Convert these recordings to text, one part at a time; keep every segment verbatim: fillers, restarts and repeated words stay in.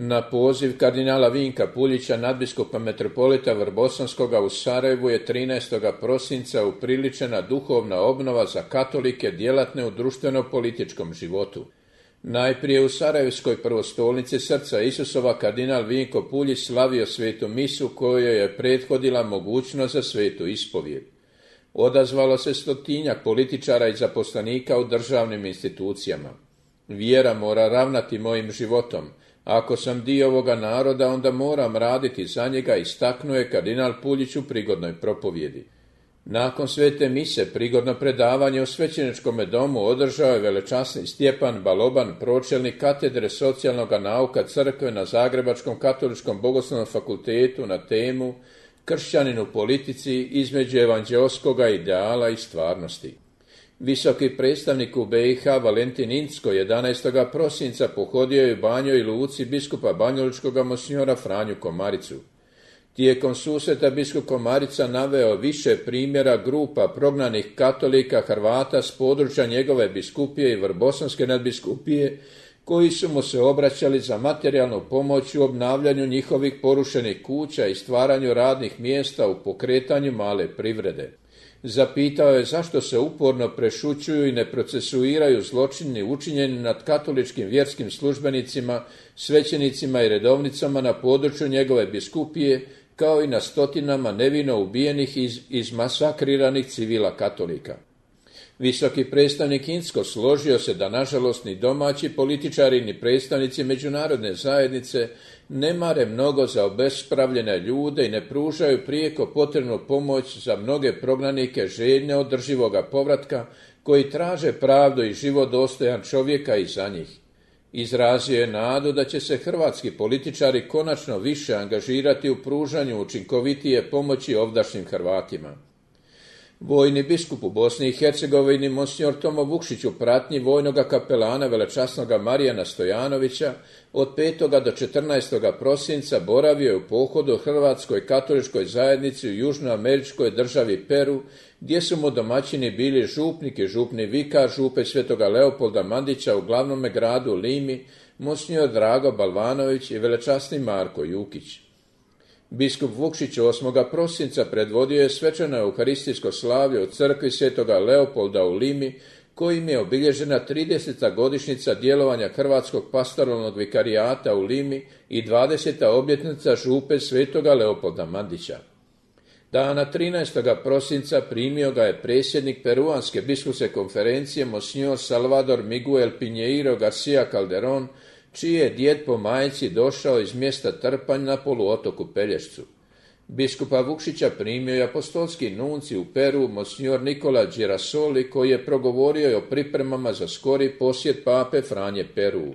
Na poziv kardinala Vinka Puljića, nadbiskupa metropolita Vrbosanskoga u Sarajevu je trinaestog prosinca upriličena duhovna obnova za katolike djelatne u društveno-političkom životu. Najprije u Sarajevskoj prvostolnici Srca Isusova kardinal Vinko Puljić slavio svetu misu kojoj je prethodila mogućnost za svetu ispovijed. Odazvalo se stotinjak političara i zaposlenika u državnim institucijama. Vjera mora ravnati mojim životom. Ako sam dio ovoga naroda, onda moram raditi za njega, istaknuo je kardinal Puljić u prigodnoj propovjedi. Nakon svete mise prigodno predavanje u svećeničkom domu održao je velečasni Stjepan Baloban, pročelnik katedre socijalnog nauka crkve na Zagrebačkom katoličkom bogoslovnom fakultetu na temu Kršćanin u politici između evanđeoskoga ideala i stvarnosti. Visoki predstavnik u B i H Valentin Incko jedanaestog prosinca pohodio je u Banjoj Luci biskupa banjolučkoga monsinjora Franju Komaricu. Tijekom susreta biskup Komarica naveo više primjera grupa prognanih katolika Hrvata s područja njegove biskupije i Vrbosanske nadbiskupije, koji su mu se obraćali za materijalnu pomoć u obnavljanju njihovih porušenih kuća i stvaranju radnih mjesta u pokretanju male privrede. Zapitao je zašto se uporno prešućuju i ne procesuiraju zločini učinjeni nad katoličkim vjerskim službenicima, svećenicima i redovnicama na području njegove biskupije, kao i na stotinama nevino ubijenih i iz, izmasakriranih civila katolika. Visoki predstavnik Incko složio se da nažalost ni domaći političari ni predstavnici međunarodne zajednice ne mare mnogo za obespravljene ljude i ne pružaju prijeko potrebnu pomoć za mnoge prognanike željne održivoga povratka koji traže pravdu i život dostojan čovjeka i za njih. Izrazio je nadu da će se hrvatski političari konačno više angažirati u pružanju učinkovitije pomoći ovdašnjim Hrvatima. Vojni biskup u Bosni i Hercegovini monsinjor Tomo Vukšić u pratnji vojnoga kapelana velečasnoga Marijana Stojanovića od petog do četrnaestog prosinca boravio je u pohodu Hrvatskoj katoličkoj zajednici u južnoameričkoj državi Peru, gdje su mu domaćini bili župnik i župni vikar župe Svetoga Leopolda Mandića u glavnome gradu Limi, monsinjor Drago Balvanović i velečasni Marko Jukić. Biskup Vukšić osmog prosinca predvodio je svečano euharistijsko slavlje u crkvi Svetoga Leopolda u Limi, kojim je obilježena trideseta godišnjica djelovanja Hrvatskog pastoralnog vikarijata u Limi i dvadeseta obljetnica župe Svetoga Leopolda Mandića. Dana trinaestog prosinca primio ga je predsjednik Peruanske biskupske konferencije monsinjor Salvador Miguel Pinheiro Garcia Calderón, čiji je djed po majci došao iz mjesta Trpanj na poluotoku Pelješcu. Biskupa Vukšića primio je apostolski nunci u Peru monsinjor Nikola Girasoli, koji je progovorio o pripremama za skori posjet pape Franje Peru.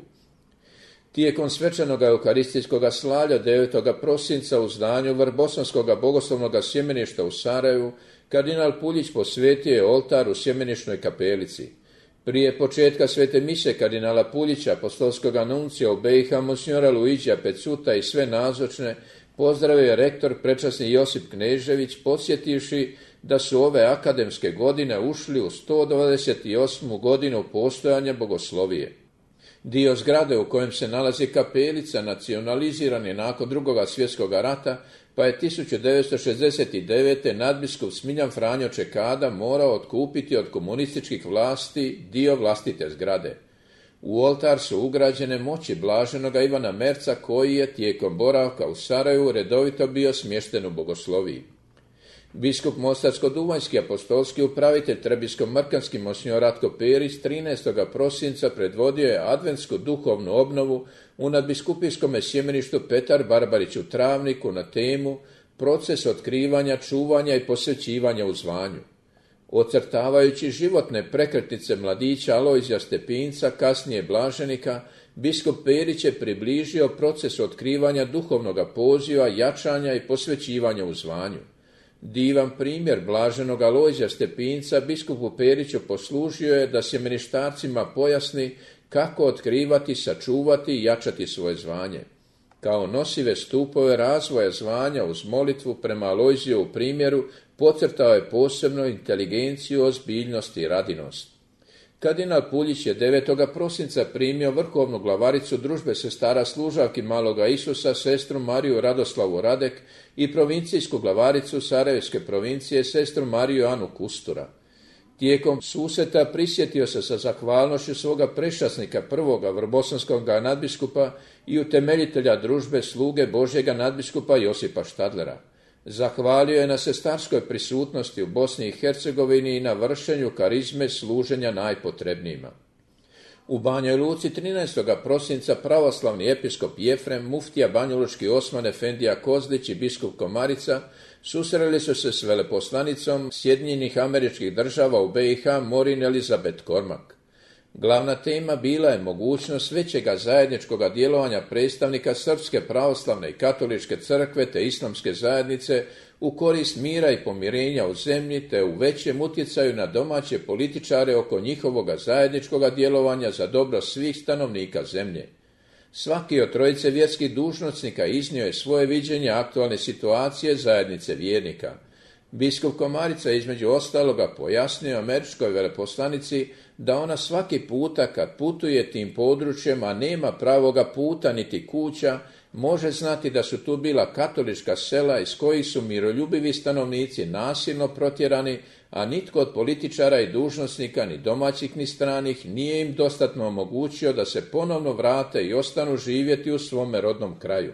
Tijekom svečanog euharistijskog slavlja devetog prosinca u zdanju Vrbosanskog bogoslovnog sjemeništa u Sarajevu kardinal Puljić posvetio je oltar u sjemenišnoj kapelici. Prije početka svete mise kardinala Puljića, apostolskog nuncija u B i H monsinjora Luigija Pecuta i sve nazočne, pozdravio je rektor prečasni Josip Knežević, podsjetivši da su ove akademske godine ušli u sto dvadeset osmu godinu postojanja bogoslovije. Dio zgrade u kojem se nalazi kapelica nacionaliziran je nakon drugog svjetskog rata, pa je tisuću devetsto šezdeset devete nadbiskup Smiljan Franjo Čekada morao otkupiti od komunističkih vlasti dio vlastite zgrade. U oltar su ugrađene moći blaženoga Ivana Merca, koji je tijekom boravka u Sarajevu redovito bio smješten u bogosloviji. Biskup Mostarsko-duvanjski apostolski upravitelj Trebinsko-mrkanski monsinjor Ratko Perić trinaestog prosinca predvodio je adventsku duhovnu obnovu u nadbiskupijskom sjemeništu Petar Barbarić u Travniku na temu proces otkrivanja, čuvanja i posvećivanja u zvanju. Ocrtavajući životne prekretnice mladića Alojzija Stepinca, kasnije blaženika, biskup Perić je približio proces otkrivanja duhovnog poziva, jačanja i posvećivanja u zvanju. Divan primjer blaženog Alojzija Stepinca biskupu Periću poslužio je da sjemeništarcima pojasni kako otkrivati, sačuvati i jačati svoje zvanje. Kao nosive stupove razvoja zvanja uz molitvu prema Alojzijovu primjeru podcrtao je posebno inteligenciju, ozbiljnost i radinost. Kardinal Puljić je devetog prosinca primio vrhovnu glavaricu družbe sestara služavki Maloga Isusa, sestru Mariju Radoslavu Radek i provincijsku glavaricu Sarajevske provincije, sestru Mariju Anu Kustura. Tijekom susreta prisjetio se sa zahvalnošću svoga prečasnika prvoga vrbosanskog nadbiskupa i utemeljitelja družbe sluge Božjega nadbiskupa Josipa Štadlera. Zahvalio je na sestarskoj prisutnosti u Bosni i Hercegovini i na vršenju karizme služenja najpotrebnijima. U Banjoj Luci trinaestog prosinca pravoslavni episkop Jefrem, muftija banjalučki Osman Efendija Kozlić i biskup Komarica susreli su se s veleposlanicom Sjedinjenih Američkih Država u B i H Morin Elizabeth Kormak. Glavna tema bila je mogućnost većega zajedničkoga djelovanja predstavnika Srpske pravoslavne i katoličke crkve te islamske zajednice u korist mira i pomirenja u zemlji te u većem utjecaju na domaće političare oko njihovoga zajedničkoga djelovanja za dobro svih stanovnika zemlje. Svaki od trojice vjerskih dužnosnika iznio je svoje viđenje aktualne situacije zajednice vjernika. Biskup Komarica između ostaloga pojasnio američkoj veleposlanici da ona svaki puta kad putuje tim područjem, a nema pravoga puta niti kuća, može znati da su tu bila katolička sela iz kojih su miroljubivi stanovnici nasilno protjerani, a nitko od političara i dužnosnika, ni domaćih ni stranih, nije im dostatno omogućio da se ponovno vrate i ostanu živjeti u svome rodnom kraju.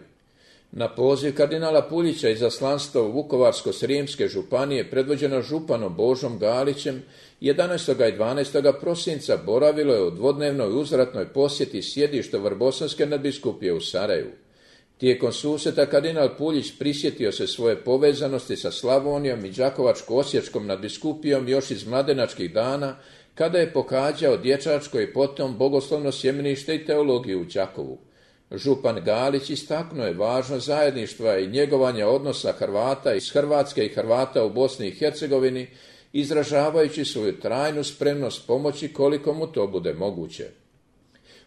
Na poziv kardinala Puljića izaslanstvo Vukovarsko-srijemske županije predvođeno županom Božom Galićem jedanaestog i dvanaestog prosinca boravilo je u dvodnevnoj uzvratnoj posjeti sjedišta Vrbosanske nadbiskupije u Sarajevu. Tijekom susreta kardinal Puljić prisjetio se svoje povezanosti sa Slavonijom i Đakovačko-osječkom nadbiskupijom još iz mladenačkih dana, kada je pohađao dječačko i potom bogoslovno sjemenište i teologiju u Đakovu. Župan Galić istaknuo je važnost zajedništva i njegovanja odnosa Hrvata iz Hrvatske i Hrvata u Bosni i Hercegovini, izražavajući svoju trajnu spremnost pomoći koliko mu to bude moguće.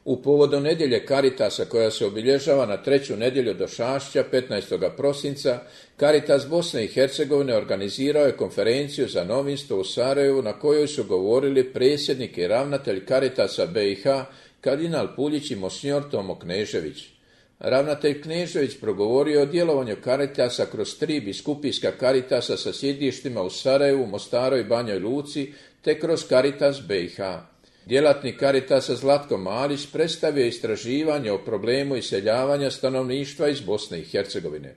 U povodu nedjelje Karitasa koja se obilježava na treću nedjelju Došašća petnaestog prosinca, Karitas Bosne i Hercegovine organizirao je konferenciju za novinstvo u Sarajevu na kojoj su govorili predsjednik i ravnatelj Karitasa B i H kardinal Puljić i monsignor Tomo Knežević. Ravnatelj Knežević progovorio o djelovanju Karitasa kroz tri biskupijska Karitasa sa sjedištima u Sarajevu, Mostaru i Banjoj Luci, te kroz Karitas B i H. Djelatnik Karitasa Zlatko Malić predstavio istraživanje o problemu iseljavanja stanovništva iz Bosne i Hercegovine.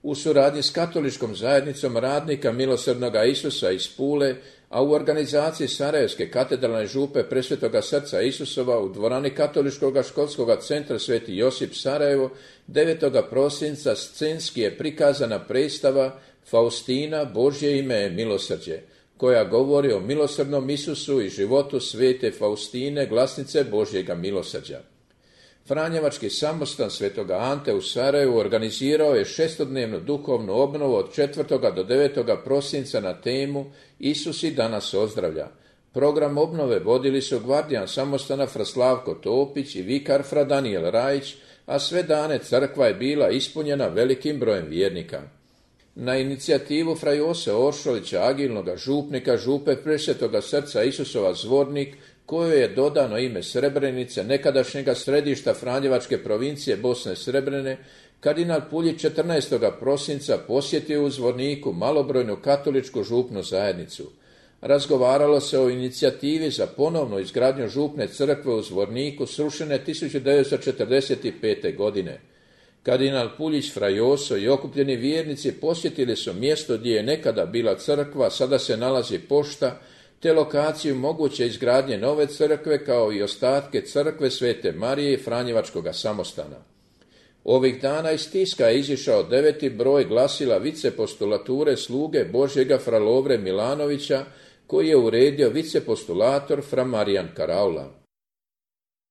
U suradnji s katoličkom zajednicom radnika Milosrdnoga Isusa iz Pule, a u organizaciji Sarajevske katedralne župe Presvetoga srca Isusova u dvorani Katoličkog školskog centra Sveti Josip Sarajevo, devetog prosinca scenski je prikazana predstava Faustina, Božje ime je milosrđe, koja govori o milosrdnom Isusu i životu svete Faustine, glasnice Božjega milosrđa. Franjevački samostan Svetoga Ante u Sarajevu organizirao je šestodnevnu duhovnu obnovu od četvrtog do devetog prosinca na temu Isus i danas ozdravlja. Program obnove vodili su gvardijan samostana Fra Slavko Topić i vikar Fra Danijel Rajić, a sve dane crkva je bila ispunjena velikim brojem vjernika. Na inicijativu Fra Jose Oršolića, agilnoga župnika župe Presvetoga srca Isusova Zvornik, kojoj je dodano ime Srebrenice, nekadašnjega središta Franjevačke provincije Bosne Srebrene, kardinal Puljić četrnaestog prosinca posjetio u Zvorniku malobrojnu katoličku župnu zajednicu. Razgovaralo se o inicijativi za ponovnu izgradnju župne crkve u Zvorniku srušene tisuću devetsto četrdeset pete. godine. Kardinal Puljić, Fra Joso i okupljeni vjernici posjetili su mjesto gdje je nekada bila crkva, sada se nalazi pošta, te lokaciju moguće izgradnje nove crkve kao i ostatke crkve Svete Marije i Franjevačkoga samostana. Ovih dana iz tiska je izišao deveti broj glasila vicepostulature sluge Božjega Fra Lovre Milanovića, koji je uredio vicepostulator Fra Marijan Karaula.